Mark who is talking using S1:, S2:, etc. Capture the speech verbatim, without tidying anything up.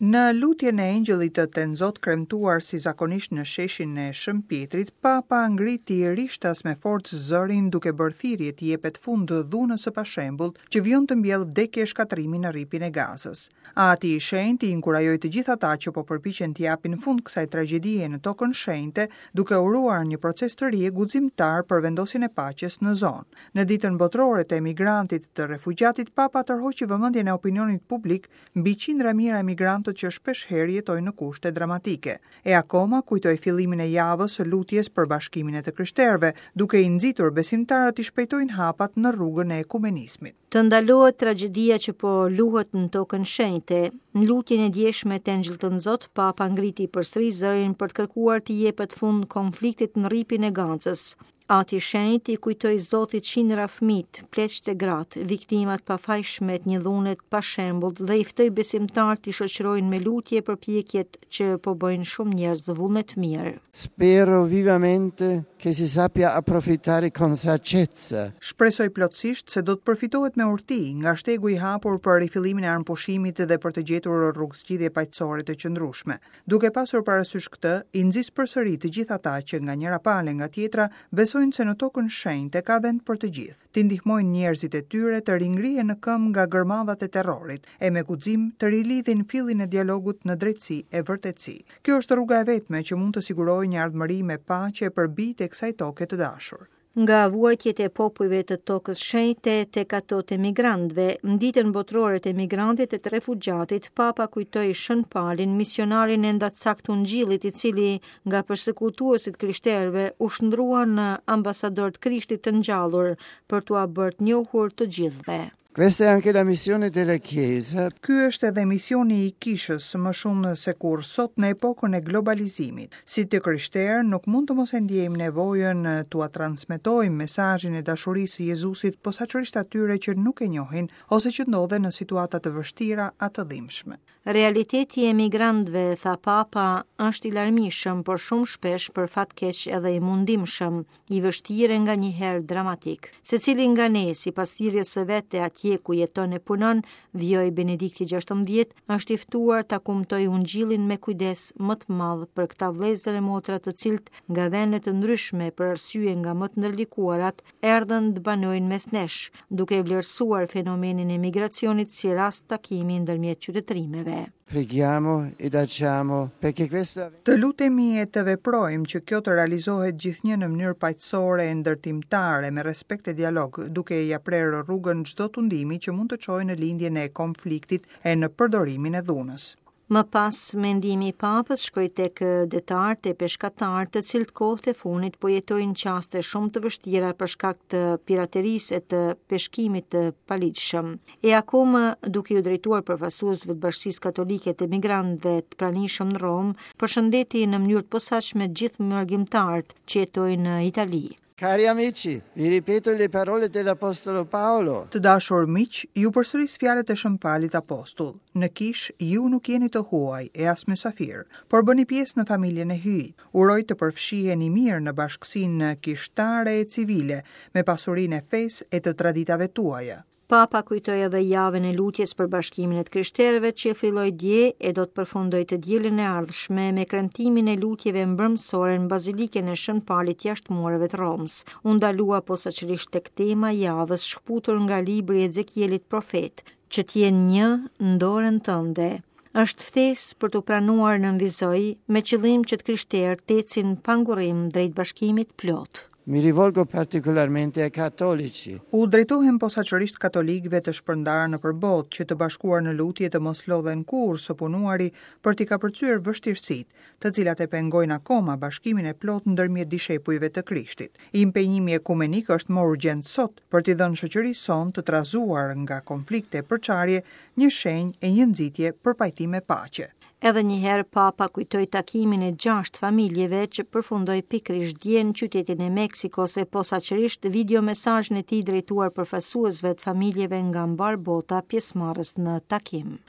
S1: Në lutjen e Engjëllit të Tënzot kremtuar si zakonisht në sheshin e Shën Pjetrit, Papa ngriti rishtas me forcë zërin duke bërë thirrje të jepet fund dhunës së pashembullt që vijon të mbjellë vdekje e shkatërrimi në rripin e Gazës. Ati i Shenjtë i inkurajoi të gjithë ata që po përpiqen të japin fund kësaj tragjedie në tokën shenjte, duke uruar një proces të ri e guximtar për vendosjen e paqes në zonë. Në ditën botërore të emigrantit të refugjatit, Papa tërhoqi vëmendjen e opinionit publik mbi qindra mijëra emigrantët që shpesh herë jetojnë në kushte dramatike. E akoma kujtoi fillimin e javës së lutjes për bashkimin e të krishterëve, duke i nxitur besimtarët të shpejtojnë hapat në rrugën e ekumenizmit.
S2: Të ndalohet tragjedia që po luhet në tokën shenjte. Në lutjen e djeshme të Engjëllit Tënzot, Papa ngriti përsëri zërin për të kërkuar të jepet fund konfliktit në rripin e Gazës. Ati i Shenjtë i kujtoi Zotit qindra fëmijët, pleqtë e gratë, viktimat pafajshme të një dhune të pashembullt dhe i ftoi besimtarët të shoqërojnë me lutje përpjekjet që po bëjnë shumë njerëz vullnet mirë.
S3: Spero vivamente che si sappia approfittare con saggezza.
S1: Shpresoj plotësisht se do të përfitohet me urti nga shtegu i hapur për rifillimin e armëpushimit dhe për të gjetur rrugë zgjidhje paqësore të qëndrueshme. Duke pasur parasysh këtë, i nxis përsëri të gjithë ata që nga njëra palë nga tjetra besojnë se në tokën shenjte ka vend për të gjithë, të ndihmojnë njerëzit e tyre të ringrihen në këmbë nga gërmadhat e terrorit e me guxim të rilidhin fillin e dialogut në drejtësi e vërtetësi. Kjo është rruga e vetme që mund të sigurojë një ardhmëri me paqe për bijtë e kësaj toke të dashur.
S2: Nga vuajtjet e popujve të tokës shenjte tek ato të emigrantëve, në ditën botërore të emigrantit e të refugjatit, Papa kujtoi Shën Palin, misionarin e ndacak të Ungjillit, i cili nga persekutuesit krishterëve u shndrua në ambasador të Krishtit të ngjallur për t'ua bërë të njohur të gjithëve.
S3: Questa è anche la missione della Chiesa.
S1: Ky është edhe misioni i kishës më shumë se kur sot në epokën e globalizimit. Si të krishterë nuk mund të mos e ndjejmë nevojën t'ua transmetojmë mesazhin e dashurisë së Jezusit posaçërisht atyre që nuk e njohin ose që ndodhen në situata të vështira a të dhimbshme.
S2: Realiteti i emigrantëve, tha Papa, është i larmishëm, por shumë shpesh për fat keq edhe i mundimshëm, i vështirë nga njëherë dramatik. Secili nga ne, sipas thirrjes së vet e atje ku jeton e punon, vijoi Benedikti gjashtëmbëdhjetë, është i ftuar ta kumtojë Ungjillin me kujdes më të madh për këta vëllezër e motra të cilët nga vende të ndryshme për arsye nga më të ndërlikuarat erdhën të banojnë mes nesh, duke vlerësuar fenomenin e migracionit si rast takimi ndërmjet qytetërimeve.
S3: Preghiamo ed agiamo perché questo
S1: Të lutemi e të veprojmë që kjo të realizohet gjithnjë në mënyrë paqësore e ndërtimtare me respekt e dialog, duke ia prerë rrugën çdo tundimi që mund të çojë në lindjen e konfliktit e në përdorimin e dhunës.
S2: Më pas, mendimi i Papës shkoi tek detarët e peshkatarët, të cilët kohët e fundit po jetojnë çaste shumë të vështira për shkak të piraterisë e të peshkimit të paligjshëm. E akoma, duke ju drejtuar përfaqësuesve të Bashkësisë Katolike të Emigrantëve të pranishëm në Romë, përshëndeti në mënyrë të posaçme gjithë mërgimtarët që jetojnë në Itali.
S3: Cari amici, vi ripeto le parole dell'Apostolo Paolo.
S1: Të dashur miq, ju përsëris fjalët e Shën Palit Apostull. Në kish ju nuk jeni të huaj e as mysafir, por bëni pjesë në familjen e Hyjit. Uroj të përfshiheni mirë në bashkësinë kishtare e civile, me pasurinë e fesë e të traditave tuaja.
S2: Papa kujtoi edhe javën e lutjes për bashkimin e të krishterëve që filloi dje e do të përfundojë të dielën e ardhshme me kremtimin e lutjeve mbrëmsore në Bazilikën e Shën Palit jashtë mureve të Romës. U ndalua posaçërisht tek tema e javës shkëputur nga libri i Ezekielit profet, që të jenë një në dorën tënde. Është ftesë për të pranuar nënvizoi me qëllim që të krishterët të ecin pa ngurrim drejt bashkimit plot.
S3: Mi rivolgo particolarmente ai cattolici.
S1: U drejtohem posaçërisht katolikëve të shpërndarë nëpër botë që të bashkuar në lutje të mos lodhen kurrë së punuari për t'i kapërcyer vështirësitë, të cilat e pengojnë akoma bashkimin e plot ndërmjet dishepujve të Krishtit. Impenjimi ekumenik është më urgjent sot për t'i dhënë shoqërisë sonë të trazuar nga konflikte e përçarje një shenjë e një nxitje për pajtim e paqe.
S2: Edhe një herë Papa kujtoi takimin e gjashtë familjeve që përfundoi pikërisht dje në qytetin e Meksikos e posaçërisht video mesazhin e tij drejtuar përfaqësuesve të familjeve nga mbar bota pjesëmarrës në takim.